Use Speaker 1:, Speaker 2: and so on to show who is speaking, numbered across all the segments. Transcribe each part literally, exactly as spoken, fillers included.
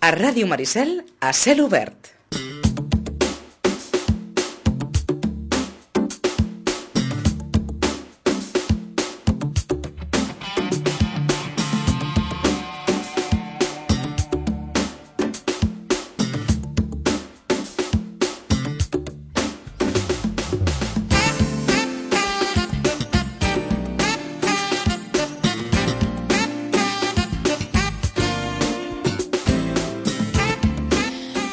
Speaker 1: A Ràdio Maricel, a cel obert.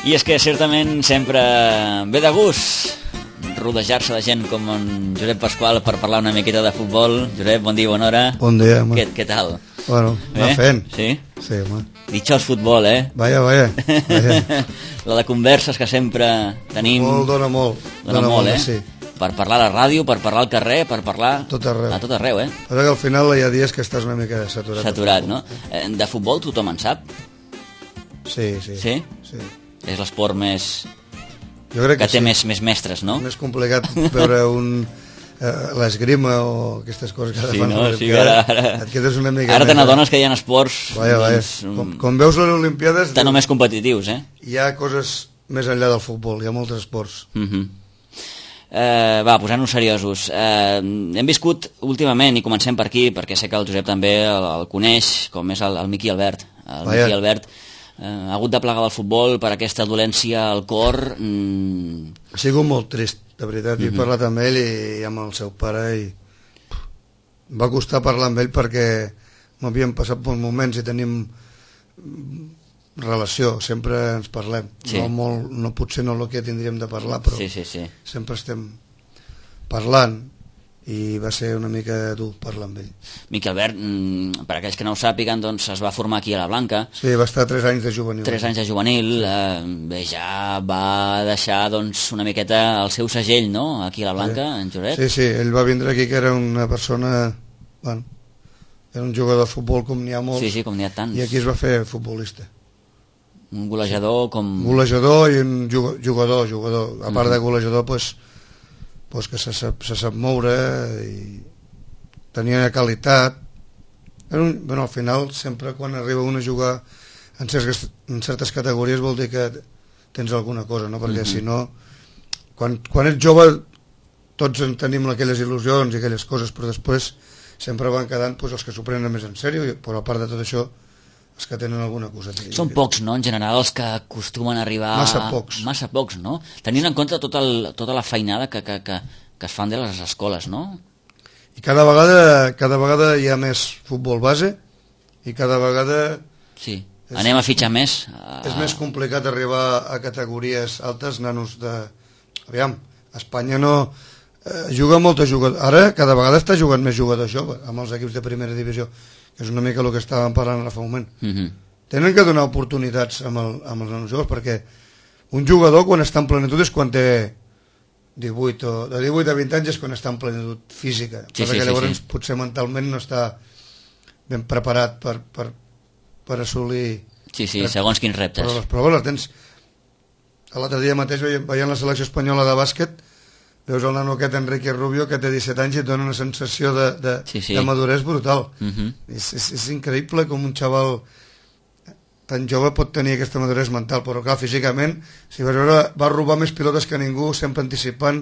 Speaker 2: I és que certament sempre ve de gust rodejar-se de gent com en Josep Pasqual per parlar una miqueta de futbol. Josep, bon dia, bona hora.
Speaker 3: Bon dia, home.
Speaker 2: Què, què tal?
Speaker 3: Bueno, va
Speaker 2: eh?
Speaker 3: fent.
Speaker 2: Sí?
Speaker 3: Sí, home.
Speaker 2: Ditxós futbol, eh?
Speaker 3: Vaya, vaya. vaya.
Speaker 2: La de converses que sempre tenim...
Speaker 3: Molt, dona molt.
Speaker 2: Dona, dona molt, molt, eh?
Speaker 3: Sí.
Speaker 2: Per parlar a la ràdio, per parlar al carrer, per parlar...
Speaker 3: Tot arreu.
Speaker 2: A tot arreu, eh?
Speaker 3: Però que al final hi ha dies que estàs una mica saturat.
Speaker 2: Saturat, no? De futbol tothom en sap?
Speaker 3: Sí, sí.
Speaker 2: Sí?
Speaker 3: Sí.
Speaker 2: És l'esport més...
Speaker 3: Jo crec
Speaker 2: que, que té
Speaker 3: sí.
Speaker 2: més, més mestres, no?
Speaker 3: És més complicat veure un... Eh, l'esgrima o aquestes coses que
Speaker 2: sí,
Speaker 3: fan
Speaker 2: no?
Speaker 3: les
Speaker 2: Sí, ara, ara,
Speaker 3: et quedes una mica
Speaker 2: ara te
Speaker 3: més,
Speaker 2: n'adones que hi ha esports
Speaker 3: vaya, vaya.
Speaker 2: Doncs,
Speaker 3: com, com veus les Olimpiades
Speaker 2: tan o més competitius, eh?
Speaker 3: Hi ha coses més enllà del futbol, hi ha molts esports.
Speaker 2: uh-huh. eh, Va, posant-nos seriosos, eh, hem viscut últimament, i comencem per aquí perquè sé que el Josep també el, el coneix, com és el, el Miqui Albert el
Speaker 3: vaya.
Speaker 2: Miqui Albert eh, ha hagut de plegar del futbol per aquesta dolència al cor. mm.
Speaker 3: Ha sigut molt trist, de veritat. Uh-huh. He parlat amb ell i, i amb el seu pare i pff, em va costar parlar amb ell perquè m'havien passat bons moments i tenim relació, sempre ens parlem. Sí. No, molt, no potser no el que tindríem de parlar, però
Speaker 2: sí, sí, sí.
Speaker 3: sempre estem parlant i va ser una mica dur parlar amb ell.
Speaker 2: Miqui Albert, per aquells que no ho sàpiguen, doncs es va formar aquí a la Blanca.
Speaker 3: Sí, va estar tres anys de juvenil.
Speaker 2: Tres anys de juvenil, eh, bé, ja va deixar doncs, una miqueta el seu segell, no?, aquí a la Blanca, sí. En Josep.
Speaker 3: Sí, sí, ell va vindre aquí que era una persona... Bueno, era un jugador de futbol com n'hi ha molts.
Speaker 2: Sí, sí, com n'hi ha tants.
Speaker 3: I aquí es va fer futbolista.
Speaker 2: Un golejador com...
Speaker 3: Golejador i un jugador, jugador. A part de golejador, doncs... Pues, pues que se sap, se sap moure i tenia qualitat. Un, bueno, al final sempre quan arriba un a jugar en certes, en certes categories vol dir que tens alguna cosa, no? Perquè uh-huh. si no quan, quan ets jove tots en tenim aquelles il·lusions i aquelles coses, però després sempre van quedant pues, els que s'ho prenen més en sèrio, però a part de tot això els que tenen alguna cosa.
Speaker 2: Són pocs, no?, en general, els que acostumen a arribar...
Speaker 3: Massa pocs.
Speaker 2: Massa pocs, no? Tenint en compte tot el, tota la feinada que, que, que, que es fan de les escoles, no?
Speaker 3: I cada vegada, cada vegada hi ha més futbol base i cada vegada...
Speaker 2: Sí, és, anem a fitxar més. A...
Speaker 3: És més complicat arribar a categories altes, nanos de... Aviam, Espanya no... Eh, juga molta jugador... Ara cada vegada està jugant més jugadors joves amb els equips de primera divisió, que és una mica el que estàvem parlant ara fa un moment. Uh-huh. Tenen que donar oportunitats amb, el, amb els nanos joves, perquè un jugador quan està en plenitud és quan té divuit o de divuit a vint anys és quan està en plenitud física,
Speaker 2: sí,
Speaker 3: perquè
Speaker 2: sí,
Speaker 3: llavors
Speaker 2: sí, sí.
Speaker 3: potser mentalment no està ben preparat per, per, per assolir
Speaker 2: sí, sí, segons quins reptes.
Speaker 3: Però les proves les tens. L'altre dia mateix veient, veient la selecció espanyola de bàsquet, veus el nano aquest Enrique Rubio que té disset anys i et dona una sensació de, de, sí, sí. de maduresa brutal. Uh-huh. és, és, és increïble com un xaval tan jove pot tenir aquesta maduresa mental, però clar, físicament si vas veure, va robar més pilotes que ningú, sempre anticipant,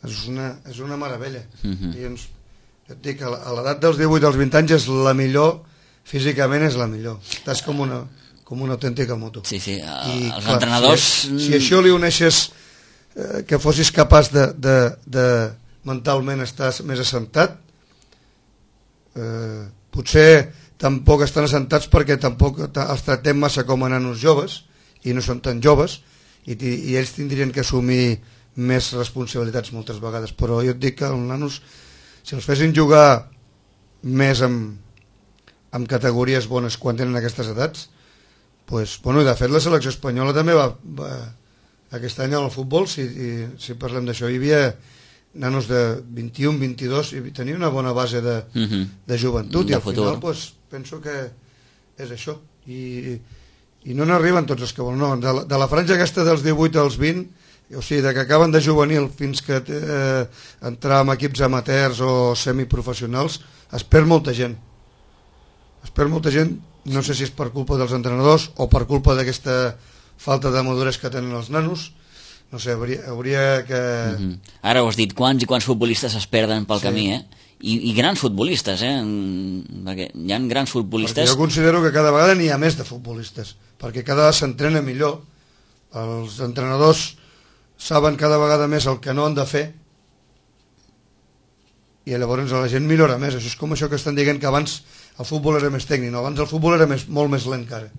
Speaker 3: és una, és una meravella. Uh-huh. I ens, jo et dic, a l'edat dels divuit als vint anys és la millor, físicament és la millor, estàs com una, com una autèntica moto.
Speaker 2: Sí, sí, uh,
Speaker 3: I,
Speaker 2: els
Speaker 3: clar,
Speaker 2: entrenadors...
Speaker 3: Si, si això li uneixes eh, que fossis capaç de, de, de mentalment estar més assentat, eh, potser tampoc estan assentats perquè tampoc els tractem massa com a nanos joves i no són tan joves i, i ells tindrien que assumir més responsabilitats moltes vegades, però jo et dic que els nanos, si els fessin jugar més amb, amb categories bones quan tenen aquestes edats, pues, bueno, i de fet la selecció espanyola també va, va aquest any al futbol, si, i, si parlem d'això, hi havia nanos de vint-i-un, vint-i-dos i tenia una bona base de, uh-huh. de joventut de i al futur. Final pues, penso que és això i, i no n'arriben tots els que volen, no, de, la, de la franja aquesta dels divuit als vint, o sigui, de que acaben de juvenil fins que eh, entrar en equips amateurs o semiprofessionals, es perd molta gent es perd molta gent no sé si és per culpa dels entrenadors o per culpa d'aquesta falta de maduresa que tenen els nanos, no sé, hauria, hauria que...
Speaker 2: Mm-hmm. Ara ho has dit, quants i quants futbolistes es perden pel sí. camí, eh? I, i grans futbolistes, eh? Perquè hi ha grans futbolistes...
Speaker 3: Perquè jo considero que cada vegada n'hi ha més de futbolistes, perquè cada vegada s'entrena millor, els entrenadors saben cada vegada més el que no han de fer, i llavors la gent millora més. Això és com això que estan dient que abans el futbol era més tècnic, no? Abans el futbol era més, molt més lent que ara.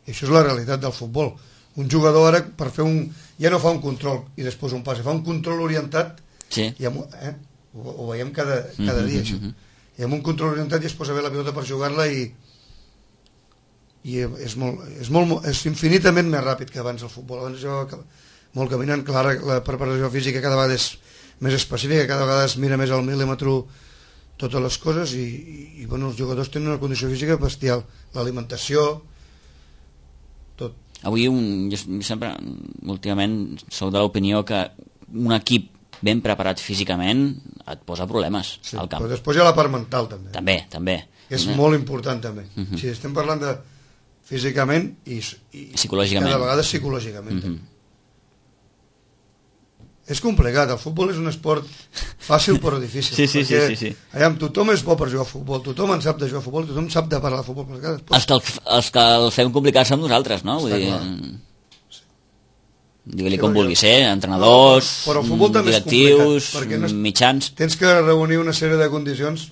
Speaker 3: I això és la realitat del futbol. Un jugador ara per fer un... ja no fa un control i després un passe, fa un control orientat
Speaker 2: sí.
Speaker 3: i amb, eh? ho, ho veiem cada, cada dia això. I amb un control orientat ja es posa bé la pilota per jugar-la i i és, molt, és, molt, és infinitament més ràpid que abans el futbol. Abans jo molt caminant, clar, la preparació física cada vegada és més específica, cada vegada es mira més al mil·límetre totes les coses i, i, i bueno, els jugadors tenen una condició física bestial, l'alimentació, tot.
Speaker 2: Avui un, jo sempre, últimament, soc de l'opinió que un equip ben preparat físicament et posa problemes
Speaker 3: sí,
Speaker 2: al camp.
Speaker 3: Però després hi ha la part mental també.
Speaker 2: També, també.
Speaker 3: És
Speaker 2: no?
Speaker 3: molt important també.
Speaker 2: Uh -huh.
Speaker 3: Si estem parlant de físicament i, i
Speaker 2: psicològicament.
Speaker 3: cada vegada psicològicament. Uh
Speaker 2: -huh.
Speaker 3: És complicat, el futbol és un esport fàcil però difícil.
Speaker 2: Sí, sí, sí, sí, sí.
Speaker 3: Allà, tothom és bo per jugar a futbol, tothom en sap de jugar a futbol, tothom sap de parlar de futbol. Però després...
Speaker 2: els, que el, els que el fem complicar som nosaltres, no? Vull dir,
Speaker 3: sí.
Speaker 2: digue-li com vulgui ser, entrenadors,
Speaker 3: no, però
Speaker 2: directius,
Speaker 3: no és...
Speaker 2: mitjans...
Speaker 3: Tens que reunir una sèrie de condicions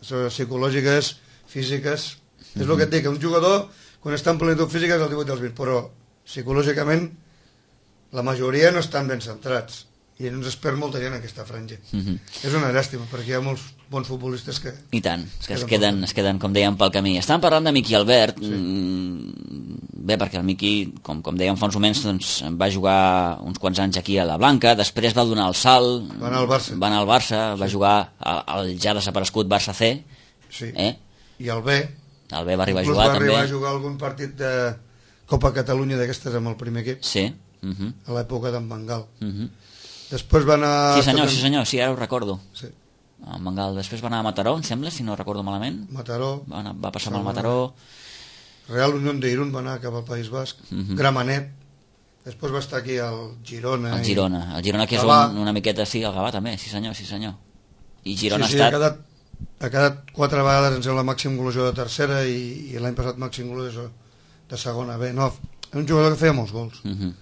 Speaker 3: psicològiques, físiques... Mm-hmm. És el que et dic, que un jugador, quan està en plenitud física és el divuit dels vint, però psicològicament la majoria no estan ben centrats i ens es perd molta gent en aquesta franja. Mm-hmm. És una llàstima, perquè hi ha molts bons futbolistes que...
Speaker 2: I tant, es que es queden, es queden, com dèiem, pel camí. Estàvem parlant de Miqui Albert, sí. Bé, perquè el Miqui, com, com dèiem fa uns moments, doncs, va jugar uns quants anys aquí a la Blanca, després va donar el salt,
Speaker 3: va anar al Barça,
Speaker 2: va, anar al Barça, sí. va jugar al, al ja desaparegut Barça C,
Speaker 3: sí.
Speaker 2: eh?
Speaker 3: I el B,
Speaker 2: el B va arribar
Speaker 3: inclús
Speaker 2: a jugar
Speaker 3: va
Speaker 2: també.
Speaker 3: arribar a jugar algun partit de Copa Catalunya d'aquestes amb el primer equip,
Speaker 2: sí. Uh-huh.
Speaker 3: a l'època d'en Bengal.
Speaker 2: Uh-huh.
Speaker 3: Després va anar...
Speaker 2: Sí senyor, sí senyor, sí, ara ho recordo.
Speaker 3: Sí.
Speaker 2: En Bengal. Després va anar a Mataró, em sembla, si no recordo malament.
Speaker 3: Mataró.
Speaker 2: Va, anar, va passar amb el Mataró.
Speaker 3: Real Unión de Irún va anar cap al País Basc. Uh-huh. Gramenet. Després va estar aquí al Girona.
Speaker 2: El Girona.
Speaker 3: I...
Speaker 2: El Girona que és un, una miqueta, sí, el Gavà també, sí senyor, sí senyor. I Girona
Speaker 3: sí, sí,
Speaker 2: ha estat...
Speaker 3: Ha quedat, ha quedat quatre vegades en ser la màxim golejador de tercera i, i l'any passat màxim golejador de segona B. No, és un jugador que feia molts gols. Uh-huh.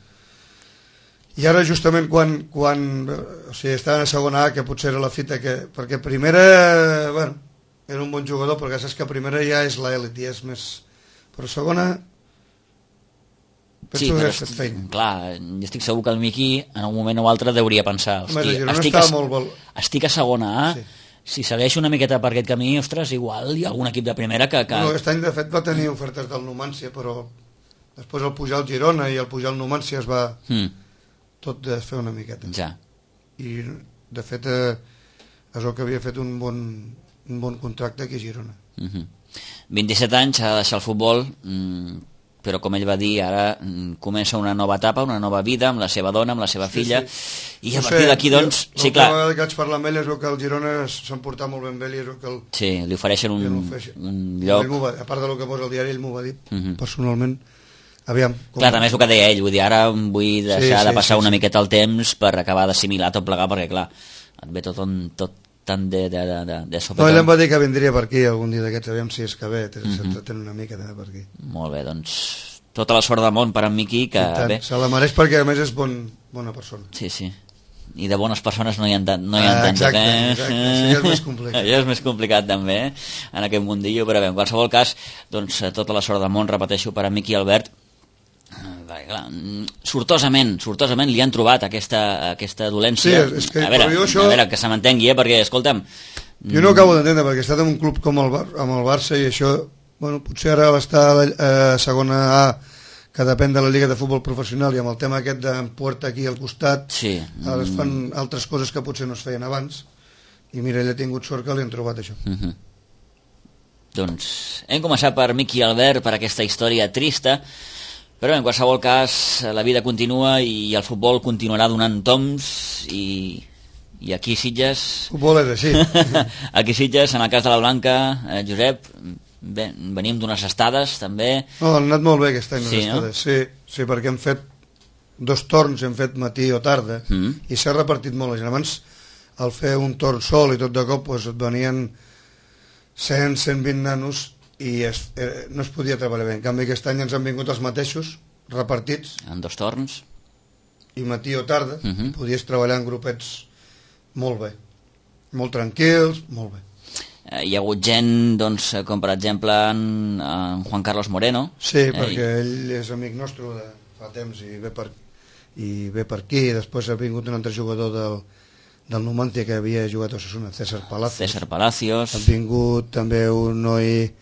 Speaker 3: I ara justament quan, quan o sigui, estava a segona A, que potser era la fita que... Perquè primera, bueno, era un bon jugador, perquè saps que primera ja és l'elit, ja és més... Però segona...
Speaker 2: Penso sí, però que est... clar, jo estic segur que el Miqui en un moment o altre deuria pensar hosti, estic, a,
Speaker 3: molt...
Speaker 2: estic a segona A, sí. Si segueixo una miqueta per aquest camí, ostres, igual hi ha algun equip de primera que... que...
Speaker 3: No, aquest any de fet va tenir ofertes del Numancia, però després al pujar al Girona i al pujar al Numancia es va mm. tot de fer una miqueta.
Speaker 2: Ja.
Speaker 3: I de fet eh, és el que havia fet un bon, un bon contracte aquí a Girona.
Speaker 2: Mm-hmm. vint-i-set anys, ha de deixar el futbol, mm, però com ell va dir, ara mm, comença una nova etapa, una nova vida amb la seva dona, amb la seva
Speaker 3: sí,
Speaker 2: filla,
Speaker 3: sí.
Speaker 2: i a
Speaker 3: no
Speaker 2: partir
Speaker 3: sé,
Speaker 2: d'aquí, doncs...
Speaker 3: Jo,
Speaker 2: sí, clar.
Speaker 3: L'última vegada que vaig parlar amb ell és que el Girona s'han portat molt ben bé i és que el...
Speaker 2: Sí, li ofereixen un, un lloc...
Speaker 3: Va, a part del que posa al diari, ell m'ho va dir, mm-hmm. personalment. Aviam. Com...
Speaker 2: Clar, també és el que deia ell, vull dir, ara vull deixar sí, sí, de passar sí, una sí. miqueta el temps per acabar d'assimilar tot plegar, perquè clar, et ve tot, on, tot tant de, de, de, de, de sopetón.
Speaker 3: No, ell em va dir que vindria per aquí algun dia d'aquests, aviam si és que ve, s'entretén mm-hmm. una mica també per aquí.
Speaker 2: Molt bé, doncs tota la sort del món per en Miqui, que bé.
Speaker 3: Se la mereix perquè a més és bon, bona persona.
Speaker 2: Sí, sí. I de bones persones no hi ha, no hi ha
Speaker 3: ah,
Speaker 2: tantes,
Speaker 3: exacte,
Speaker 2: eh?
Speaker 3: Exacte, això és més complicat.
Speaker 2: Això és més complicat també, eh? En aquest mundillo, però bé, en qualsevol cas, doncs tota la sort del món, repeteixo, per a Miqui Albert. Perquè, clar, sortosament, sortosament li han trobat aquesta, aquesta dolència.
Speaker 3: Sí, és que,
Speaker 2: a, veure,
Speaker 3: això...
Speaker 2: a veure, que se m'entengui, eh? Perquè, escolta'm...
Speaker 3: Jo no acabo d'entendre, perquè he estat en un club com el, Bar amb el Barça i això, bueno, potser ara l'estar a eh, segona A, que depèn de la Lliga de Futbol Professional, i amb el tema aquest d'Empuerta aquí al costat,
Speaker 2: sí.
Speaker 3: ara es fan altres coses que potser no es feien abans, i mira, ell ha tingut sort que li han trobat això.
Speaker 2: Uh-huh. Doncs hem començat per Miqui Albert, per aquesta història trista, però en qualsevol cas la vida continua i el futbol continuarà donant toms i, i aquí Sitges...
Speaker 3: Futbol és així.
Speaker 2: Aquí Sitges, en el cas de la Blanca, eh, Josep, Bé, venim d'unes estades, també.
Speaker 3: No, han anat molt bé aquest any,
Speaker 2: sí,
Speaker 3: les
Speaker 2: no?
Speaker 3: estades. Sí, sí, perquè hem fet dos torns, hem fet matí o tarda,
Speaker 2: mm. i
Speaker 3: s'ha repartit molt la gent. Abans, al fer un torn sol i tot de cop, doncs et venien cent, cent vint nanos i es, eh, no es podia treballar bé. En canvi, aquest any ens han vingut els mateixos, repartits.
Speaker 2: En dos torns.
Speaker 3: I matí o tarda,
Speaker 2: uh -huh.
Speaker 3: podies treballar en grupets molt bé. Molt tranquils, molt bé.
Speaker 2: Eh, hi ha hagut gent, doncs, com per exemple en, en Juan Carlos Moreno.
Speaker 3: Sí,
Speaker 2: eh,
Speaker 3: perquè ell és amic nostre de fa temps i ve per, i ve per aquí. I després ha vingut un altre jugador del, del Numancia que havia jugat a Osasuna, César Palacios.
Speaker 2: César Palacios.
Speaker 3: Ha vingut també un noi,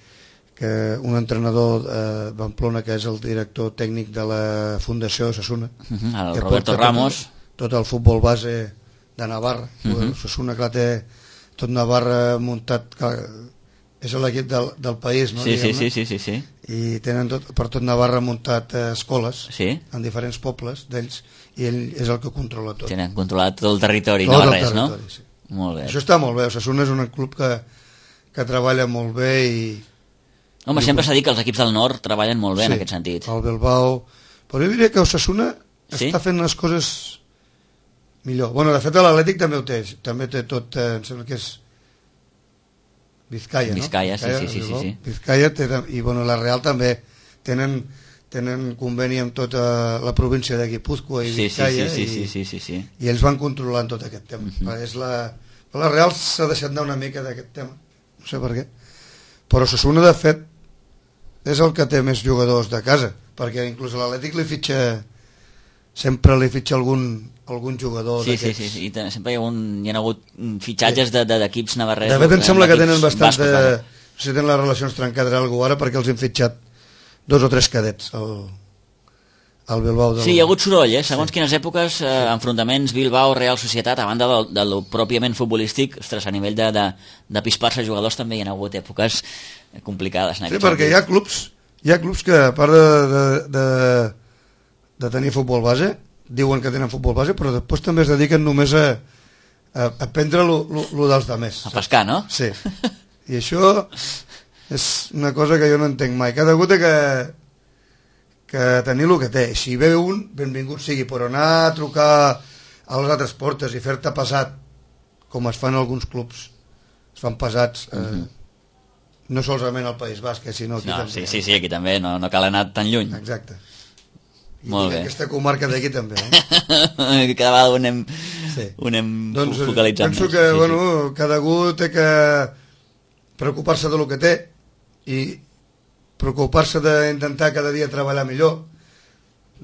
Speaker 3: que, un entrenador de Pamplona, que és el director tècnic de la Fundació Osasuna.
Speaker 2: Uh -huh, el
Speaker 3: que
Speaker 2: Roberto Ramos.
Speaker 3: Tot, tot el futbol base de Navarra. Uh -huh. Osasuna, clar, té tot Navarra muntat, clar, és l'equip del, del país, no?
Speaker 2: Sí, sí, sí, sí, sí, sí.
Speaker 3: I tenen tot, per tot Navarra muntat eh, escoles,
Speaker 2: sí,
Speaker 3: en diferents pobles d'ells, i ell és el que controla tot.
Speaker 2: Tenen controlat tot el territori,
Speaker 3: tot
Speaker 2: no
Speaker 3: el
Speaker 2: res,
Speaker 3: territori,
Speaker 2: no?
Speaker 3: Sí.
Speaker 2: Molt bé.
Speaker 3: Això està molt bé, Osasuna és un club que, que treballa molt bé i...
Speaker 2: Home, sempre s'ha dit que els equips del nord treballen molt bé, sí, en aquest sentit.
Speaker 3: El Bilbao... Però jo diria que Osasuna
Speaker 2: sí?
Speaker 3: està fent les coses millor. Bueno, de fet, l'Atlètic també ho té, també té tot, eh, em sembla que és Vizcaya,
Speaker 2: Vizcaya,
Speaker 3: no? Vizcaya,
Speaker 2: sí, sí, sí, sí, sí.
Speaker 3: Vizcaya té, i bueno, la Real també tenen, tenen conveni amb tota la província de Guipúzcoa i
Speaker 2: sí,
Speaker 3: Vizcaya,
Speaker 2: sí, sí,
Speaker 3: i,
Speaker 2: sí, sí, sí, sí.
Speaker 3: i ells van controlant tot aquest tema. Uh -huh. És la, la Real s'ha deixat anar una mica d'aquest tema, no sé per què, però Osasuna de fet és el que té més jugadors de casa, perquè inclús a l'Atlètic li fitxa, sempre li fitxa algun, algun jugador
Speaker 2: sí,
Speaker 3: d'aquests.
Speaker 2: sí, sí, sí, i sempre hi ha, un, hi ha hagut fitxatges de, de, d'equips navarresos.
Speaker 3: De fet em sembla que tenen bastant
Speaker 2: bascos,
Speaker 3: de...
Speaker 2: vale.
Speaker 3: No sé si tenen les relacions trencades algú ara, perquè els hem fitxat dos o tres cadets al, al Bilbao. Del...
Speaker 2: Sí, hi ha hagut soroll, eh? Segons
Speaker 3: sí.
Speaker 2: quines èpoques, eh, enfrontaments Bilbao, Real Societat, a banda del, del pròpiament futbolístic, ostres, a nivell de, de, de pispar-se jugadors també hi ha hagut èpoques complicades. En
Speaker 3: sí,
Speaker 2: aquest
Speaker 3: perquè
Speaker 2: sentit.
Speaker 3: hi ha clubs, hi ha clubs que a part de, de, de, de tenir futbol base, diuen que tenen futbol base, però després també es dediquen només a, a, a prendre lo, lo, lo dels demés.
Speaker 2: A pescar, no?
Speaker 3: Sí. I això és una cosa que jo no entenc mai. Cada algú té que, que tenir el que té. Si ve un, benvingut sigui, però anar a trucar a les altres portes i fer-te pesat, com es fan alguns clubs, es fan pesats, eh, uh-huh. no solament al País Basc, sinó aquí
Speaker 2: no,
Speaker 3: també.
Speaker 2: Sí, sí, sí, aquí també, no, no cal anar tan lluny.
Speaker 3: Exacte. I
Speaker 2: molt bé.
Speaker 3: Aquesta comarca d'aquí també. Eh?
Speaker 2: Cada vegada ho anem,
Speaker 3: sí.
Speaker 2: ho anem
Speaker 3: doncs,
Speaker 2: focalitzant
Speaker 3: penso
Speaker 2: més.
Speaker 3: que
Speaker 2: sí,
Speaker 3: bueno,
Speaker 2: sí.
Speaker 3: cada algú té que preocupar-se de lo que té i preocupar-se d'intentar cada dia treballar millor,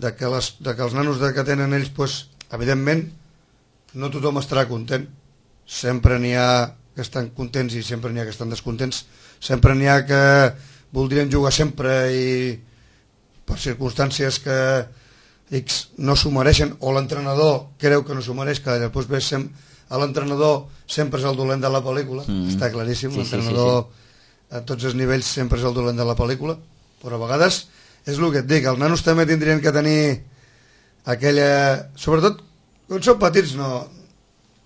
Speaker 3: de que, les, de que els nanos de que tenen ells, pues, evidentment, no tothom estarà content. Sempre n'hi ha que estan contents i sempre n'hi ha que estan descontents. Sempre n'hi ha que voldrien jugar sempre i per circumstàncies que X no s'ho mereixen, o l'entrenador creu que no s'ho mereix, que després ve sem l'entrenador sempre és el dolent de la pel·lícula, mm. està claríssim, sí, l'entrenador sí, sí, sí. a tots els nivells sempre és el dolent de la pel·lícula, però a vegades és el que et dic, els nanos també tindrien que tenir aquella... Sobretot, quan són petits no...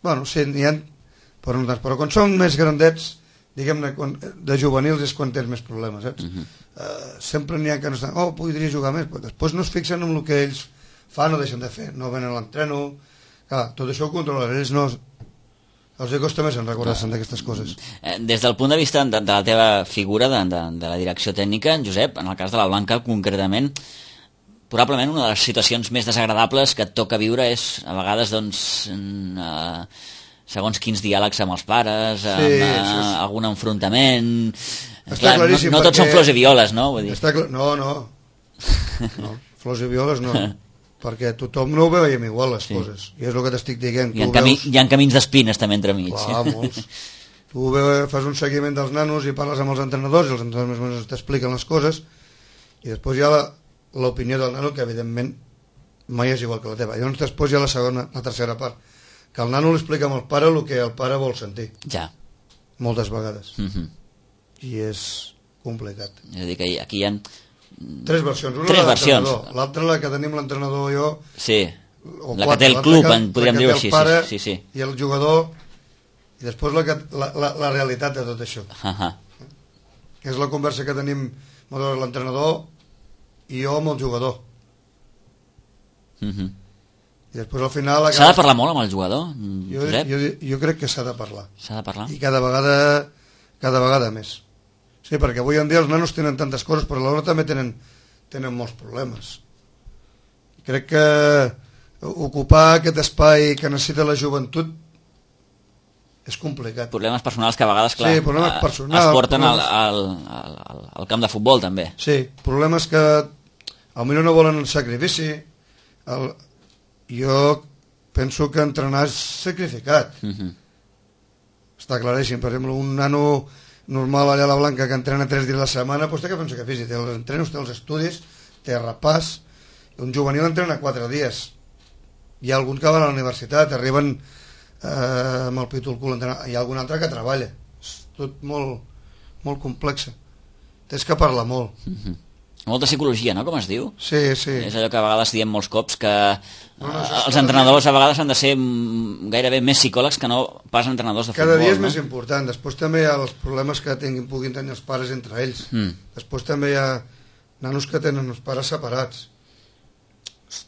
Speaker 3: Bueno, sí, n'hi ha... Però, no tant, però quan són més grandets, diguem-ne, de juvenils és quan tens més problemes, saps? Mm -hmm. uh, sempre n'hi ha que no estan... Oh, podria jugar més, però després no es fixen en el que ells fan o deixen de fer, no venen a l'entreno... Clar, tot això ho controlen, ells no... Els costa més en recordar-se'n d'aquestes coses.
Speaker 2: Des del punt de vista de, de la teva figura de, de, de la direcció tècnica, Josep, en el cas de la Blanca concretament, probablement una de les situacions més desagradables que et toca viure és a vegades doncs eh, segons quins diàlegs amb els pares, amb sí, eh, és... algun enfrontament. Clar, no, no tots són flors i violes, no? Vull dir.
Speaker 3: Està cl... No, no. no. Flors i violes no. Perquè tothom no ho veiem igual, les sí. coses. I és el que t'estic dient.
Speaker 2: Hi ha, camí, veus... hi ha camins d'espines també entremig.
Speaker 3: Clar, molts. Tu veus, fas un seguiment dels nanos i parles amb els entrenadors i els entrenadors més o menys t'expliquen les coses i després hi ha l'opinió del nano, que evidentment mai és igual que la teva. Llavors després hi ha la segona, la tercera part, que el nano li explica al pare el que el pare vol sentir.
Speaker 2: Ja.
Speaker 3: Moltes vegades.
Speaker 2: Uh -huh.
Speaker 3: I és complicat.
Speaker 2: És a dir, que aquí hi ha...
Speaker 3: Tres versions. Una
Speaker 2: Tres
Speaker 3: la
Speaker 2: versions.
Speaker 3: L'altra la que tenim l'entrenador i jo.
Speaker 2: Sí,
Speaker 3: o
Speaker 2: la
Speaker 3: quatre,
Speaker 2: que té el club,
Speaker 3: que,
Speaker 2: en podríem dir-ho així.
Speaker 3: Pare
Speaker 2: sí, sí.
Speaker 3: I el jugador, i després la, que, la, la, la realitat de tot això.
Speaker 2: Uh -huh.
Speaker 3: que és la conversa que tenim l'entrenador i jo amb el jugador.
Speaker 2: Uh-huh.
Speaker 3: I després al final... Acaba...
Speaker 2: S'ha de parlar molt amb el jugador,
Speaker 3: jo,
Speaker 2: Josep?
Speaker 3: Jo, jo crec que s'ha de parlar.
Speaker 2: S'ha de parlar?
Speaker 3: I cada vegada, cada vegada més. Sí, perquè avui en dia els nanos tenen tantes coses, però alhora també tenen, tenen molts problemes. Crec que ocupar aquest espai que necessita la joventut és complicat.
Speaker 2: Problemes personals que a vegades, clar,
Speaker 3: sí, problemes personals,
Speaker 2: es porten
Speaker 3: problemes...
Speaker 2: al, al, al, al camp de futbol, també.
Speaker 3: Sí, problemes que potser no volen el sacrifici. El... Jo penso que entrenar és sacrificat. Uh-huh. Està claríssim. Per exemple, un nano normal allà a la Blanca que entrena tres dies a la setmana, doncs té que fer un sacrifici. Té els entrenos, té els estudis, té repàs. Un juvenil entrena quatre dies. Hi ha algun que va a la universitat, arriben eh, amb el pit al cul a entrenar. Hi ha algun altre que treballa. És tot molt, molt complex. Tens que parlar molt.
Speaker 2: Uh-huh. Molta psicologia, no?, com es diu?
Speaker 3: Sí, sí.
Speaker 2: És allò que a vegades diem molts cops, que
Speaker 3: no, no,
Speaker 2: els entrenadors a vegades han de ser gairebé més psicòlegs que no pas entrenadors de
Speaker 3: cada
Speaker 2: futbol.
Speaker 3: Cada dia és
Speaker 2: no?
Speaker 3: més important. Després també hi ha els problemes que tinguin, puguin tenir els pares entre ells. Mm. Després també hi ha nanos que tenen els pares separats.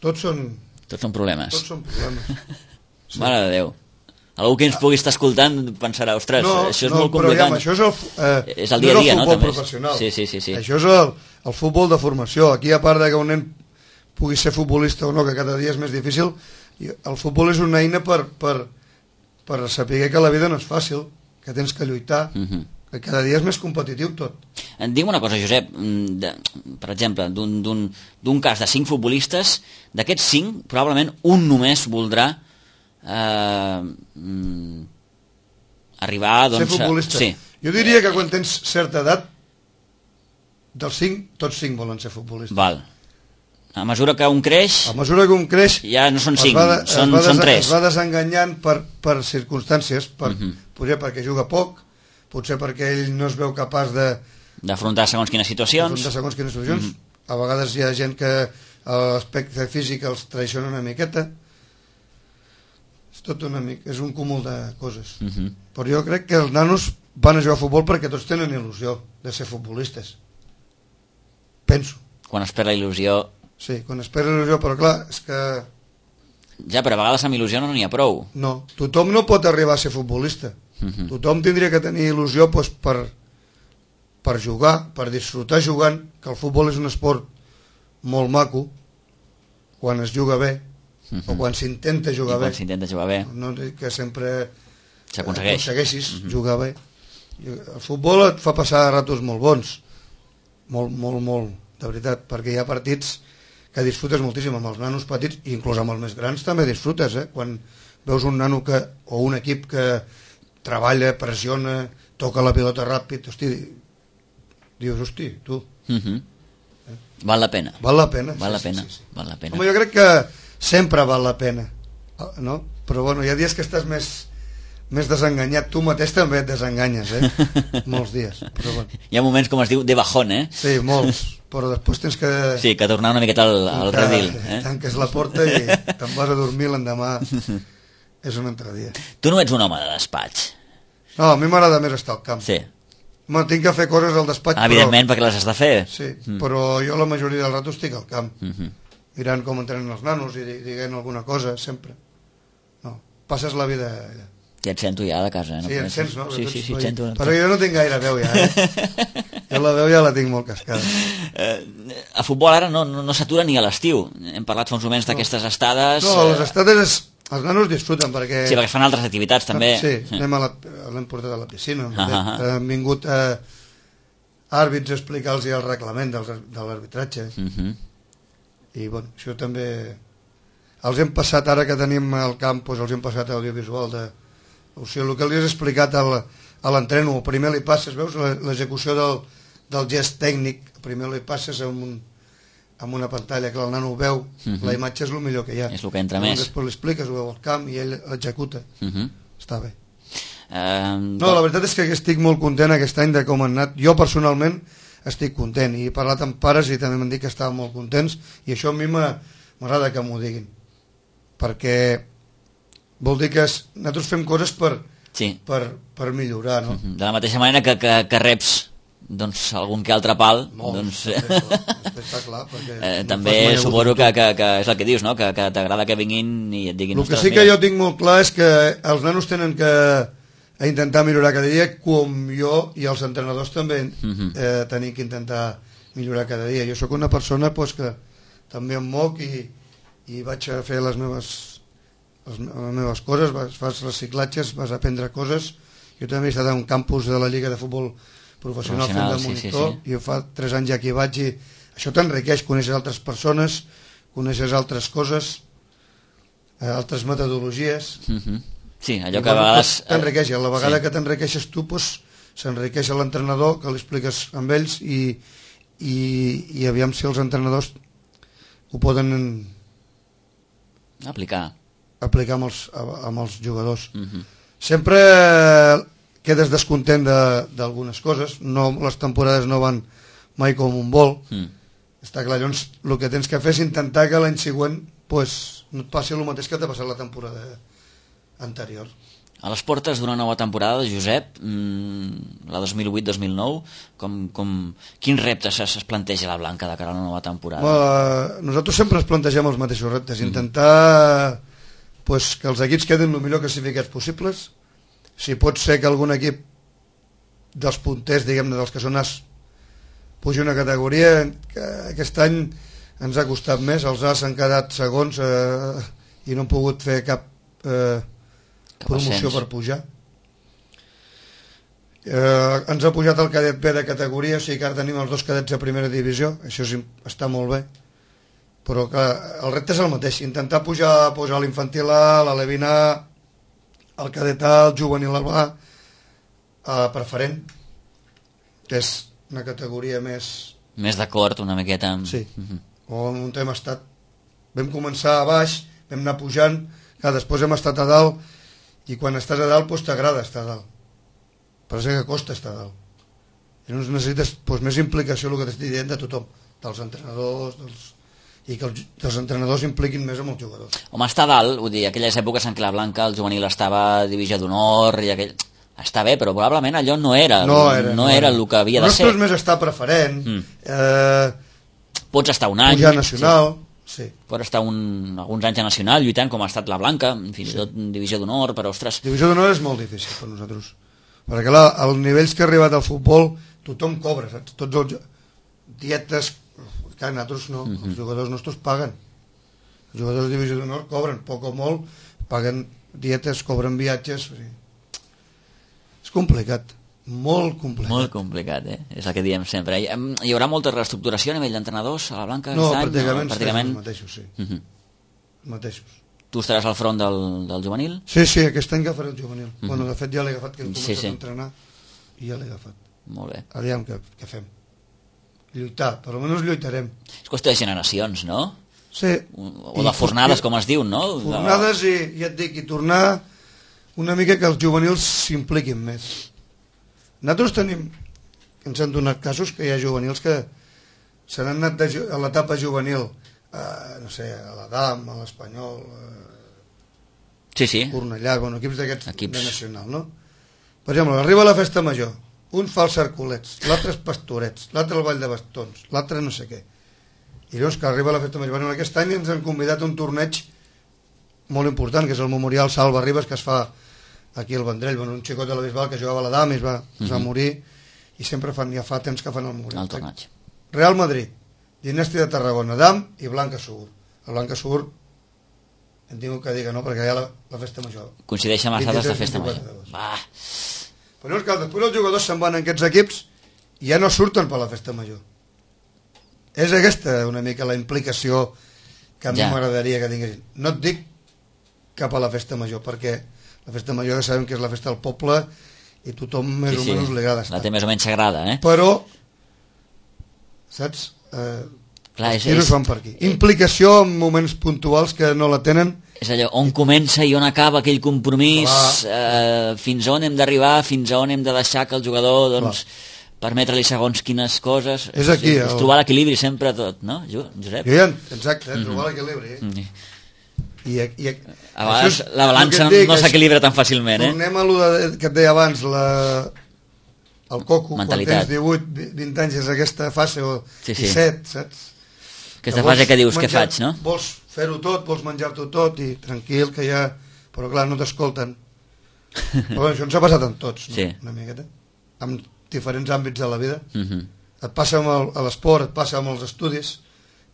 Speaker 3: Tots són...
Speaker 2: Tots són problemes.
Speaker 3: Tots són problemes.
Speaker 2: Sí. Mare de Déu. Algú que ens pugui estar escoltant pensarà, ostres,
Speaker 3: no,
Speaker 2: això és
Speaker 3: no,
Speaker 2: molt complicat.
Speaker 3: No, això és el, eh,
Speaker 2: és el dia a dia, no?
Speaker 3: No és el futbol professional.
Speaker 2: Sí, sí, sí, sí.
Speaker 3: Això és el, el futbol de formació. Aquí, a part de que un nen pugui ser futbolista o no, que cada dia és més difícil, el futbol és una eina per, per, per saber que la vida no és fàcil, que tens que lluitar, uh-huh. que cada dia és més competitiu tot.
Speaker 2: Digue'm una cosa, Josep, de, per exemple, d'un cas de cinc futbolistes, d'aquests cinc, probablement un només voldrà Uh, mm, arribar doncs,
Speaker 3: ser futbolista.
Speaker 2: Sí.
Speaker 3: Jo diria que quan tens certa edat dels cinc, tots cinc volen ser futbolistes.
Speaker 2: Val. A mesura que un creix,
Speaker 3: a mesura que un creix
Speaker 2: ja no són cinc,
Speaker 3: de,
Speaker 2: són, són tres.
Speaker 3: Es va desenganyant per, per circumstàncies, per, uh-huh. potser perquè juga poc, potser perquè ell no es veu capaç de
Speaker 2: d'afrontar segons quines situacions,
Speaker 3: d'afrontar segons quines situacions. Uh-huh. A vegades hi ha gent que l'aspecte físic els traiciona una miqueta. És tot una mica, és un cúmul de coses. Uh-huh. Però jo crec que els nanos van a jugar a futbol perquè tots tenen il·lusió de ser futbolistes. Penso.
Speaker 2: Quan es perd la il·lusió...
Speaker 3: Sí, quan es perd la il·lusió, però clar, és que...
Speaker 2: Ja, però a vegades amb il·lusió no n'hi ha prou.
Speaker 3: No, tothom no pot arribar a ser futbolista. Uh-huh. Tothom tindria que tenir il·lusió doncs, per, per jugar, per disfrutar jugant, que el futbol és un esport molt maco, quan es juga bé, uh-huh. o quan s'intenta jugar
Speaker 2: I
Speaker 3: bé.
Speaker 2: quan s'intenta jugar bé.
Speaker 3: No dic que sempre
Speaker 2: s'aconsegueix.
Speaker 3: aconsegueixis uh-huh. jugar bé. El futbol et fa passar ratos molt bons, molt, molt, molt, de veritat, perquè hi ha partits que disfrutes moltíssim amb els nanos petits, i inclús amb els més grans també disfrutes, eh? Quan veus un nano que, o un equip que treballa, pressiona, toca la pilota ràpid, hosti, dius, hosti, tu.
Speaker 2: Uh-huh. eh? Val la pena.
Speaker 3: Val la pena.
Speaker 2: Val
Speaker 3: sí,
Speaker 2: la pena.
Speaker 3: Sí, sí, sí.
Speaker 2: Val la pena.
Speaker 3: Home, jo crec que sempre val la pena, no? Però bueno, hi ha dies que estàs més, més desenganyat. Tu mateix també et desenganyes, eh? Molts dies. Però bueno.
Speaker 2: Hi ha moments, com es diu, de bajón, eh?
Speaker 3: Sí, molts. Però després tens que...
Speaker 2: Sí, que tornar una miqueta al, al redil. Eh?
Speaker 3: Tanques la porta i te'n vas a dormir l'endemà. És un altre dia.
Speaker 2: Tu no ets un home de despatx.
Speaker 3: No, a mi m'agrada més estar al camp.
Speaker 2: Sí.
Speaker 3: Bueno, tinc que fer coses al despatx,
Speaker 2: ah, evidentment,
Speaker 3: però...
Speaker 2: perquè les has de fer.
Speaker 3: Sí, mm. però jo la majoria del rato estic al camp.
Speaker 2: Mm-hmm.
Speaker 3: Mirant com entrenen els nanos i dient alguna cosa, sempre. No, passes la vida allà.
Speaker 2: Ja et sento ja de casa, eh? No
Speaker 3: sí, em sents, no?
Speaker 2: Sí, sí, sí, et sento.
Speaker 3: Però jo no tinc gaire veu ja, eh? Jo la veu ja la tinc molt cascada.
Speaker 2: Eh, a futbol ara no, no, no s'atura ni a l'estiu. Hem parlat fa uns moments d'aquestes estades...
Speaker 3: No, les estades és... Els nanos disfruten perquè...
Speaker 2: Sí, perquè fan altres activitats també.
Speaker 3: Sí, anem a la... l'hem portat a la piscina.
Speaker 2: Ah, ah, ah.
Speaker 3: Han vingut eh, àrbits a explicar-los el reglament del, de l'arbitratge. Uh-huh. I bueno, això també... Els hem passat, ara que tenim el campus, els hem passat a audiovisual de... O sigui, el que li has explicat al, a l'entreno, primer li passes, veus, l'execució del, del gest tècnic, primer li passes amb, un, amb una pantalla que el nano ho veu, uh-huh. la imatge és el millor que hi ha.
Speaker 2: És el que entra més.
Speaker 3: Després li expliques, ho veu al camp i ell l'executa. Uh-huh. Està bé.
Speaker 2: Um,
Speaker 3: no, la veritat és que estic molt content aquest any de com han anat. Jo personalment estic content i he parlat amb pares i també m'han dit que estaven molt contents i això a mi m'agrada que m'ho diguin, perquè vol dir que es, nosaltres fem coses per,
Speaker 2: sí.
Speaker 3: per, per millorar, no?
Speaker 2: De la mateixa manera que, que, que reps doncs algun que altre pal,
Speaker 3: Molt,
Speaker 2: doncs...
Speaker 3: després està clar, perquè
Speaker 2: eh,
Speaker 3: no
Speaker 2: també
Speaker 3: fas mai
Speaker 2: suposo
Speaker 3: hagut
Speaker 2: que,
Speaker 3: un
Speaker 2: que, que és el que dius, no? Que, que t'agrada que vinguin i et diguin...
Speaker 3: El que
Speaker 2: "Ostres,
Speaker 3: sí que
Speaker 2: mira".
Speaker 3: jo tinc molt clar és que els nanos tenen que a intentar millorar cada dia, com jo i els entrenadors també
Speaker 2: Mhm.
Speaker 3: eh, tenim que intentar millorar cada dia. Jo sóc una persona pues, que també em moc i, i vaig a fer les meves, les, les meves coses, vas, fas reciclatges, vas a aprendre coses. Jo també he estat en un campus de la Lliga de Futbol Professional, fent de
Speaker 2: Professional, sí,
Speaker 3: monitor,
Speaker 2: sí, sí.
Speaker 3: i fa tres anys ja que hi vaig i això t'enriqueix, coneixes altres persones, coneixes altres coses, eh, altres metodologies.
Speaker 2: Mhm. Sí, allò
Speaker 3: I,
Speaker 2: que a
Speaker 3: bueno,
Speaker 2: vegades...
Speaker 3: t'enriqueix, a la vegada
Speaker 2: sí.
Speaker 3: que t'enriqueixes tu pues, s'enriqueix l'entrenador, que li expliques amb ells i, i, i aviam si els entrenadors ho poden
Speaker 2: Aplicar.
Speaker 3: aplicar amb els, amb els jugadors.
Speaker 2: Mhm.
Speaker 3: Sempre quedes descontent de- d'algunes coses, no, les temporades no van mai com un vol,
Speaker 2: Mm.
Speaker 3: està clar. Llavors el que tens que fer és intentar que l'any següent pues, no et passi el mateix que t'ha passat la temporada anterior.
Speaker 2: A les portes d'una nova temporada, Josep, mmm, la dos mil vuit dos mil nou, com, com, quins reptes es, es planteja la Blanca de cara a la nova temporada?
Speaker 3: Bueno, nosaltres sempre ens plantegem els mateixos reptes, intentar pues, que els equips quedin el millor classificats possibles. Si pot ser que algun equip dels punters, diguem-ne, dels que són as, pugi una categoria, que aquest any ens ha costat més, els as han quedat segons eh, i no han pogut fer cap eh, promoció
Speaker 2: ascens.
Speaker 3: per pujar. Eh, ens ha pujat el cadet B de categoria, o sigui que ara tenim els dos cadets a primera divisió, això sí, està molt bé, però que el repte és el mateix, intentar pujar, pujar l'infantil A, l'alevín A, el cadet A, el juvenil A, a preferent, que és una categoria més...
Speaker 2: Més d'acord, una miqueta amb...
Speaker 3: Sí,
Speaker 2: Mhm.
Speaker 3: on on hem estat. Vam començar a baix, vam anar pujant, que després hem estat a dalt, i quan estàs a dalt doncs t'agrada estar a dalt, però és que costa estar a dalt. I llavors necessites doncs, més implicació, el que t'estic dient, de tothom, dels entrenadors, dels... i que els, els entrenadors impliquin més amb els jugadors.
Speaker 2: Home, està a dalt, vull dir, aquelles èpoques en què la Blanca, el juvenil, estava a divisió d'honor i aquell... Està bé, però probablement allò no era,
Speaker 3: No era,
Speaker 2: no era el que havia de ser.
Speaker 3: Nosaltres més estar preferent,
Speaker 2: Mm.
Speaker 3: eh,
Speaker 2: Pots estar un any...
Speaker 3: pujar nacional, sí.
Speaker 2: Sí. Pots estar un, alguns anys a nacional lluitant com ha estat la Blanca, fins i tot divisió d'honor, però ostres...
Speaker 3: Divisió d'honor és molt difícil per nosaltres, perquè clar, als nivells que ha arribat al futbol tothom cobra, saps? Tots els dietes, que nosaltres no,
Speaker 2: Mhm.
Speaker 3: els jugadors nostres paguen, els jugadors de divisió d'honor cobren poc o molt, paguen dietes, cobren viatges, o sigui, és complicat, molt complicat.
Speaker 2: Molt complicat, eh? És el que diem sempre. Hi, hi haurà molta reestructuració a nivell d'entrenadors a la Blanca
Speaker 3: No,
Speaker 2: aquest any?
Speaker 3: pràcticament,
Speaker 2: No,
Speaker 3: pràcticament els mateixos, sí,
Speaker 2: Mhm.
Speaker 3: els mateixos.
Speaker 2: Tu estaràs al front del, del juvenil?
Speaker 3: Sí, sí, aquest any agafaré el juvenil.
Speaker 2: Mhm.
Speaker 3: Bueno, de fet ja l'he agafat, que he
Speaker 2: Sí,
Speaker 3: començat
Speaker 2: sí.
Speaker 3: a entrenar i ja l'he agafat.
Speaker 2: Molt bé.
Speaker 3: Aviam què, què fem. Lluitar, per almenys lluitarem.
Speaker 2: És qüestió de generacions, no?
Speaker 3: Sí.
Speaker 2: O de fornades, com es diu, no?
Speaker 3: Fornades i, ja et dic, i tornar una mica que els juvenils s'impliquin més. Nosaltres tenim, ens han donat casos que hi ha juvenils que se n'han anat de, ju- a l'etapa juvenil, a, no sé, a l'Adam, a l'Espanyol,
Speaker 2: Sí, sí.
Speaker 3: a Cornellà, bueno, equips d'aquests
Speaker 2: Equips.
Speaker 3: de nacional, no? Per exemple, arriba la festa major, un fa els cercolets, l'altre és pastorets, l'altre el ball de bastons, l'altre no sé què. I llavors que arriba la festa major, bueno, aquest any ens han convidat a un torneig molt important, que és el Memorial Salva Ribes, que es fa aquí al Vendrell, bueno, un xicot de la Bisbal que jugava a l'Adam i es va, es va
Speaker 2: Mhm.
Speaker 3: morir, i sempre fan, ja fa temps que fan el Memorial.
Speaker 2: El torneig.
Speaker 3: Real Madrid, Dinàstia de Tarragona, Adam i Blanca Segur. El Blanca Segur, hem tingut que dir que no, perquè hi ha la, la festa major.
Speaker 2: Coincideix amb les dates de
Speaker 3: vint-i-tres,
Speaker 2: festa
Speaker 3: vint-i-quatre
Speaker 2: major.
Speaker 3: d'agost.
Speaker 2: Va.
Speaker 3: Però no, que després els jugadors se'n van en aquests equips i ja no surten per la festa major. És aquesta una mica la implicació que a mi
Speaker 2: Ja.
Speaker 3: m'agradaria que tinguessin. No et dic cap a la festa major, perquè la festa major ja sabem que és la festa del poble i tothom més
Speaker 2: Sí,
Speaker 3: o
Speaker 2: sí.
Speaker 3: menys li agrada estar.
Speaker 2: La té més o menys sagrada, eh?
Speaker 3: Però, saps? Eh,
Speaker 2: Clar, és,
Speaker 3: els tiros
Speaker 2: és,
Speaker 3: van per aquí. Implicació en moments puntuals que no la tenen.
Speaker 2: és allò, on comença i on acaba aquell compromís, eh, fins a on hem d'arribar, fins a on hem de deixar que el jugador, doncs, permetre-li segons quines coses.
Speaker 3: És aquí,
Speaker 2: És, és
Speaker 3: el-
Speaker 2: trobar l'equilibri sempre tot, no, Jo- Josep?
Speaker 3: Jo ja, exacte, eh, trobar l'equilibri. Eh?
Speaker 2: Mm.
Speaker 3: I, i,
Speaker 2: A vegades
Speaker 3: això és
Speaker 2: la balança
Speaker 3: el que et dic,
Speaker 2: no
Speaker 3: és-
Speaker 2: s'equilibra tan fàcilment, eh?
Speaker 3: Tornem a allò de, que et deia abans, la, el coco,
Speaker 2: mentalitat.
Speaker 3: Quan tens divuit vint anys és aquesta fase, o
Speaker 2: sí, sí.
Speaker 3: disset, saps?
Speaker 2: Aquesta fase que dius,
Speaker 3: menjar,
Speaker 2: què faig, no?
Speaker 3: Vols fer-ho tot, vols menjar-t'ho tot, i tranquil, que ja... Però clar, no t'escolten. Però bueno, això ens ha passat amb tots, no?
Speaker 2: Sí.
Speaker 3: Una miqueta. En diferents àmbits de la vida.
Speaker 2: Uh -huh.
Speaker 3: Et passa amb el, a l'esport, et passa amb els estudis,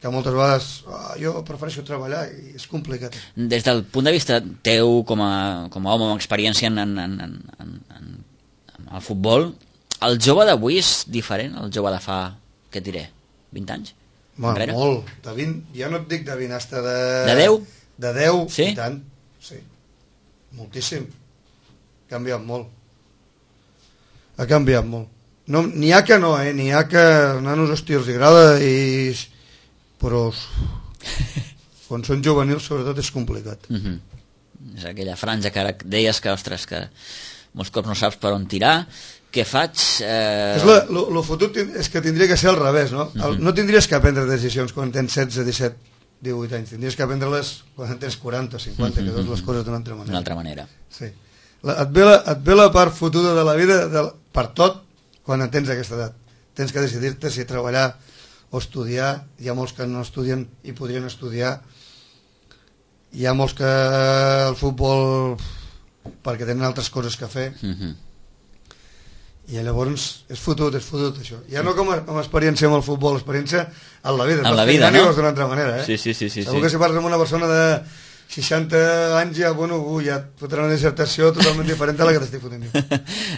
Speaker 3: que moltes vegades oh, jo prefereixo treballar i és complicat.
Speaker 2: Des del punt de vista teu com a, com a home amb experiència en, en, en, en, en, en el futbol, el jove d'avui és diferent al jove de fa, què et diré, vint anys?
Speaker 3: Bueno,
Speaker 2: enrere?
Speaker 3: molt, de vint, ja no et dic de vint, hasta de...
Speaker 2: De deu?
Speaker 3: De deu,
Speaker 2: sí?
Speaker 3: I tant, sí, moltíssim, ha canviat molt, ha canviat molt. No, n'hi ha que no, eh? N'hi ha que nanos, hòstia, els agrada, i... però quan són juvenils sobretot és complicat.
Speaker 2: Uh -huh. És aquella franja que ara deies que, ostres, que molts cops no saps per on tirar, què faig? Eh...
Speaker 3: És la, lo, lo fotut és que tindria que ser al revés, no?
Speaker 2: Uh -huh.
Speaker 3: El, no tindries que prendre decisions quan tens setze, disset, divuit anys, tindries que prendre-les quan tens quaranta, cinquanta, uh -huh. que veus les coses d'una altra manera.
Speaker 2: D'una altra manera.
Speaker 3: Sí. La, et, ve la, et ve la part fotuda de la vida de, per tot quan en tens aquesta edat. Tens que decidir-te si treballar o estudiar. Hi ha molts que no estudien i podrien estudiar. Hi ha molts que el futbol perquè tenen altres coses que fer. Uh -huh. I llavors és fotut, és fotut això. Ja no com a, com a experiència amb el futbol, experiència en la vida.
Speaker 2: En la vida, no?
Speaker 3: D'una altra manera, eh?
Speaker 2: Sí, sí, sí, sí,
Speaker 3: segur
Speaker 2: sí.
Speaker 3: que si parles amb una persona de seixanta anys ja, bueno, uh, ja et fotrà una dissertació totalment diferent a la que t'estic fotent jo.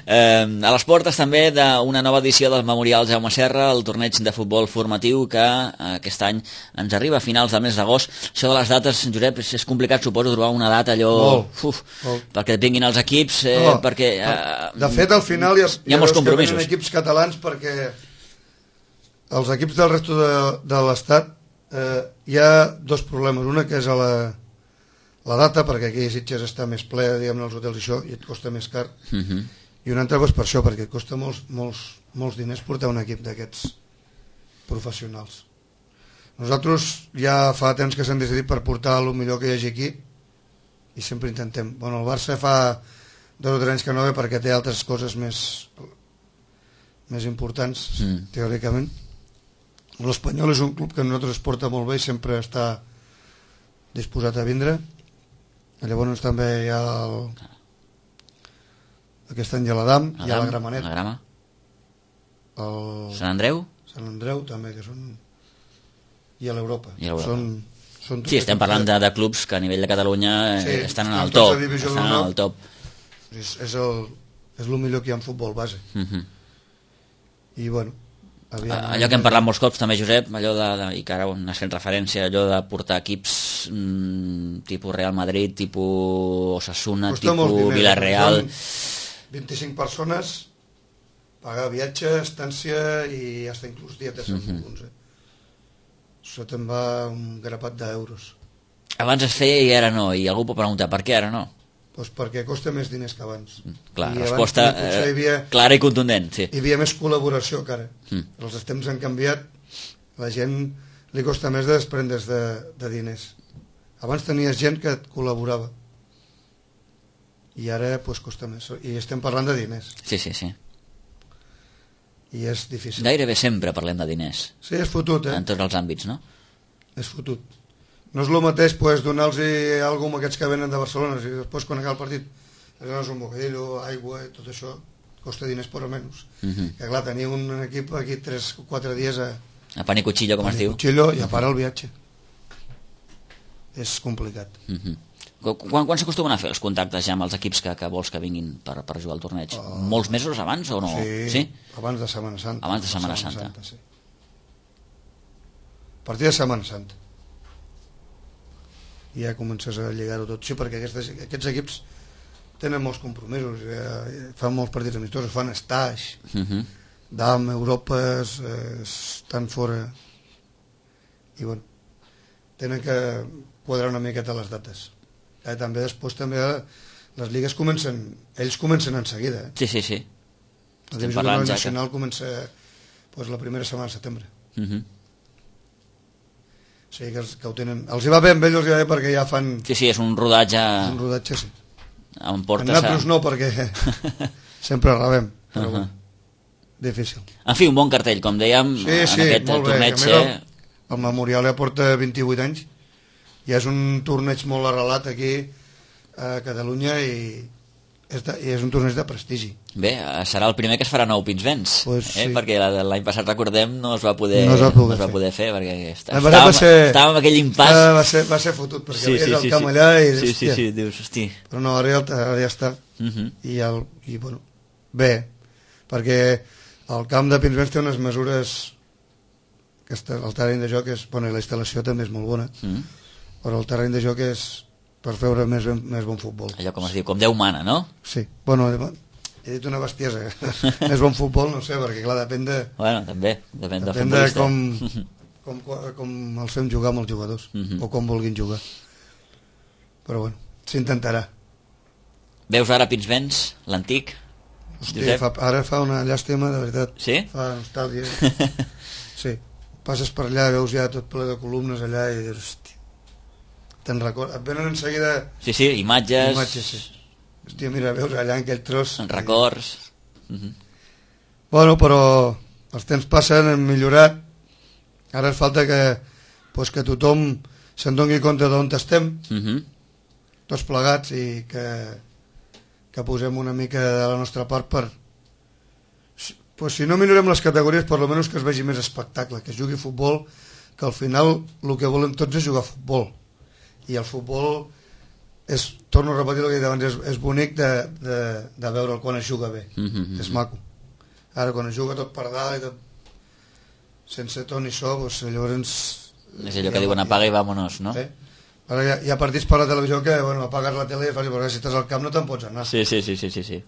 Speaker 2: eh, a les portes també d'una nova edició del Memorial Jaume Serra, el torneig de futbol formatiu que eh, aquest any ens arriba a finals del mes d'agost. Això de les dates, Josep, és, és complicat, suposo, trobar una data allò...
Speaker 3: Molt,
Speaker 2: uf,
Speaker 3: molt.
Speaker 2: Perquè et vinguin els equips, eh,
Speaker 3: no,
Speaker 2: perquè... Eh,
Speaker 3: de fet, al final hi ha,
Speaker 2: hi ha molts compromisos.
Speaker 3: Hi ha equips catalans perquè els equips del resto de, de l'Estat eh, hi ha dos problemes. Una que és a la... la data, perquè aquí a Sitges està més ple, diguem-ne, els hotels i això, i et costa més car. Uh -huh. I una altra doncs, per això, perquè et costa molts, molts, molts diners portar un equip d'aquests professionals. Nosaltres ja fa temps que s'han decidit per portar el millor que hi hagi aquí, i sempre intentem. Bueno, el Barça fa dos o tres anys que no ve perquè té altres coses més més importants, mm. teòricament. L'Espanyol és un club que a nosaltres es porta molt bé i sempre està disposat a vindre. Llavors també hi ha el... aquest any hi ha l'Adam, hi ha la Gramenet,
Speaker 2: la Grama,
Speaker 3: el...
Speaker 2: Sant Andreu,
Speaker 3: Sant Andreu també, que són... i a l'Europa.
Speaker 2: Són, són sí, estem parlant de, de clubs que a nivell de Catalunya sí, estan en el top. Estan en el top.
Speaker 3: És, és, el, és el millor que hi ha en futbol base. Uh -huh. I bueno...
Speaker 2: Aviam, allò que hem parlat molts cops també, Josep, allò de, de, i que ara n'has fet referència, allò de portar equips mmm, tipus Real Madrid, tipus Osasuna,
Speaker 3: costa
Speaker 2: tipus Villarreal,
Speaker 3: vint-i-cinc persones, pagar viatge, estància i fins inclús dietes uh -huh. en alguns, eh? Això te'n va un grapat d'euros.
Speaker 2: Abans es feia i ara no, i algú pot preguntar per què ara no?
Speaker 3: Pues perquè costa més diners que abans.
Speaker 2: Clar, I resposta abans, eh, havia, clara i contundent, sí.
Speaker 3: Hi havia més col·laboració que ara. Mm. Els temps han canviat, la gent li costa més de desprendre's de, de diners. Abans tenies gent que et col·laborava i ara pues, costa més. I estem parlant de diners.
Speaker 2: Sí, sí, sí.
Speaker 3: I és difícil.
Speaker 2: Gairebé sempre parlem de diners.
Speaker 3: Sí, és fotut, eh?
Speaker 2: En tots els àmbits, no?
Speaker 3: És fotut. No és el mateix pues, donar-los alguna cosa a aquests que venen de Barcelona i després quan acaba el partit els dones un bocadillo, aigua i tot això costa diners per almenys. Uh -huh. Que clar, tenir un equip aquí tres o quatre dies a...
Speaker 2: a pan i cuchillo, com es diu.
Speaker 3: Cuchillo i a part el viatge. És complicat.
Speaker 2: Uh -huh. Quan, quan s'acostumen a fer els contactes ja amb els equips que, que vols que vinguin per, per jugar al torneig? Uh, Molts mesos abans o no?
Speaker 3: Sí,
Speaker 2: sí?
Speaker 3: abans de Setmana Santa.
Speaker 2: Abans de Setmana Santa.
Speaker 3: Santa sí. A partir de Setmana Santa. I ja comences a lligar-ho tot. Sí, perquè aquests, aquests equips tenen molts compromisos, eh, fan molts partits amistosos, fan stage, uh -huh. D A M, Europes, eh, estan fora. I bueno, tenen que quadrar una miqueta les dates. Eh, també després també les lligues comencen, ells comencen en seguida. Eh?
Speaker 2: Sí, sí, sí.
Speaker 3: La divisió nacional que... comença pues, la primera setmana de setembre. Uh -huh. O sigui que, els, que ho tenen... Els hi va bé amb ells, els hi va bé perquè ja fan...
Speaker 2: Sí, sí, és un rodatge...
Speaker 3: És un rodatge, sí.
Speaker 2: En portes
Speaker 3: en nosaltres a... no, perquè sempre rebem. Però uh -huh. bueno. difícil.
Speaker 2: En fi, un bon cartell, com dèiem,
Speaker 3: sí,
Speaker 2: en
Speaker 3: sí,
Speaker 2: aquest
Speaker 3: molt bé.
Speaker 2: torneig.
Speaker 3: A més, el, el Memorial ja porta vint-i-vuit anys, i és un torneig molt arrelat aquí a Catalunya, i és, de, i és un torneig de prestigi.
Speaker 2: Bé, serà el primer que es farà nou Pinsbens,
Speaker 3: pues
Speaker 2: eh?
Speaker 3: Sí.
Speaker 2: Perquè l'any passat, recordem, no es va poder,
Speaker 3: no es va poder,
Speaker 2: no es va
Speaker 3: fer.
Speaker 2: poder fer, perquè està,
Speaker 3: estàvem,
Speaker 2: va ser, estàvem amb aquell impàs.
Speaker 3: Uh, va, ser, va ser fotut, perquè sí, sí, és el
Speaker 2: sí,
Speaker 3: camp
Speaker 2: sí.
Speaker 3: allà i
Speaker 2: sí, sí, sí, dius, hosti.
Speaker 3: Però no, ara ja, ara ja està.
Speaker 2: Uh -huh.
Speaker 3: I, el, i bueno, bé, perquè el camp de Pinsbens té unes mesures que està, el terreny de joc és, bueno, i la instal·lació també és molt bona, uh -huh. però el terreny de joc és per veure més, ben, més bon futbol.
Speaker 2: Allò com es diu, com Déu mana, no?
Speaker 3: Sí, bueno, he dit una bestiesa. Més bon futbol, no sé, perquè clar, depèn de...
Speaker 2: Bueno, també, depèn,
Speaker 3: depèn de com, com, com els fem jugar amb els jugadors, uh -huh. o com vulguin jugar. Però bueno, s'intentarà.
Speaker 2: Veus ara Pinsbens, l'antic?
Speaker 3: Hòstia, fa, ara fa una llàstima, de veritat.
Speaker 2: Sí?
Speaker 3: Fa nostàlgia. Sí, passes per allà, veus ja tot ple de columnes allà i dius, hòstia, te'n recordes, et venen en seguida...
Speaker 2: Sí, sí, imatges...
Speaker 3: Imatges, sí. Hòstia, mira, veus allà en aquell tros...
Speaker 2: En records...
Speaker 3: I... Uh -huh. Bueno, però els temps passen, hem millorat, ara ens falta que, pues, que tothom se'n doni compte d'on estem, uh -huh. tots plegats, i que, que posem una mica de la nostra part per... Pues, si no millorem les categories, per almenys que es vegi més espectacle, que es jugui futbol, que al final el que volem tots és jugar a futbol. I el futbol és, torno a repetir el que he dit abans, és, és bonic de, de, de veure'l quan es juga bé, mm -hmm. és maco. Ara quan es juga tot per dalt i tot sense to ni so, doncs, llavors
Speaker 2: és allò que diuen apaga i vámonos, no?
Speaker 3: Eh? Ara hi ha, hi ha partits per la televisió que, bueno, apagues la tele i fas, perquè si estàs al camp no te'n pots anar.
Speaker 2: Sí, sí, sí, sí, sí, sí.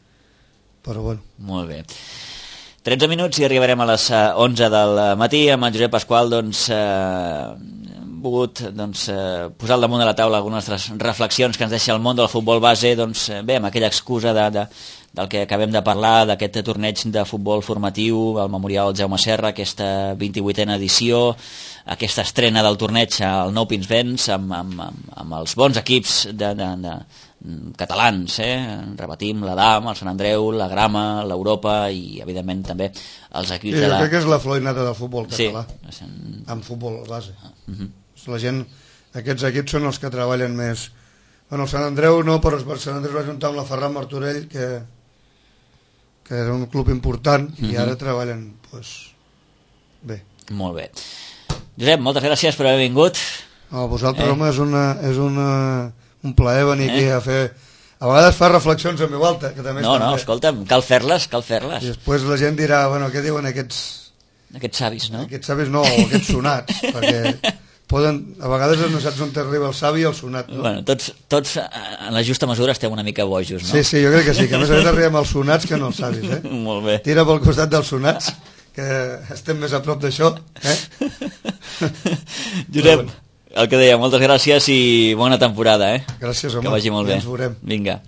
Speaker 3: Però bueno.
Speaker 2: Molt bé. tretze minuts i arribarem a les onze del matí. Amb en Josep Pasqual, doncs, eh, volgut doncs, eh, posar al damunt de la taula algunes de les reflexions que ens deixa el món del futbol base, doncs, eh, bé, amb aquella excusa de, de, del que acabem de parlar, d'aquest torneig de futbol formatiu, el Memorial Jaume Serra, aquesta vint-i-vuitena edició, aquesta estrena del torneig al Nou Pinsbens, amb, amb, amb, amb els bons equips de, de, de catalans, eh? Repetim, l'Adam, el Sant Andreu, la Grama, l'Europa i, evidentment, també els equips
Speaker 3: sí,
Speaker 2: de la...
Speaker 3: Jo crec que és la flor innata del futbol català,
Speaker 2: sí.
Speaker 3: amb futbol base.
Speaker 2: Uh -huh.
Speaker 3: La gent, aquests equips són els que treballen més. Bueno, el Sant Andreu no, però el Sant Andreu va juntar amb la Ferran Martorell, que, que era un club important, uh -huh. i ara treballen, doncs, bé.
Speaker 2: Molt bé. Josep, moltes gràcies per haver vingut.
Speaker 3: No, vosaltres, eh? home, és, una, és una, un plaer venir eh? aquí a fer... A vegades fa reflexions en veu alta, que també
Speaker 2: no,
Speaker 3: estan
Speaker 2: no,
Speaker 3: bé.
Speaker 2: escolta'm, cal fer-les, cal fer-les.
Speaker 3: I després la gent dirà, bueno, què diuen aquests...
Speaker 2: Aquests savis, no?
Speaker 3: Aquests savis no, o aquests sonats, perquè poden, a vegades no saps on t'arriba el savi i el sonat, no?
Speaker 2: Bueno, tots, tots en la justa mesura estem una mica bojos, no?
Speaker 3: Sí, sí, jo crec que sí, que a més a més arribem als sonats que no als savis, eh?
Speaker 2: Molt bé.
Speaker 3: Tira pel costat dels sonats, que estem més a prop d'això, eh?
Speaker 2: Josep, el que deia, moltes gràcies i bona temporada, eh?
Speaker 3: Gràcies, home.
Speaker 2: Que vagi molt bé.
Speaker 3: Ja ens veurem.
Speaker 2: Vinga.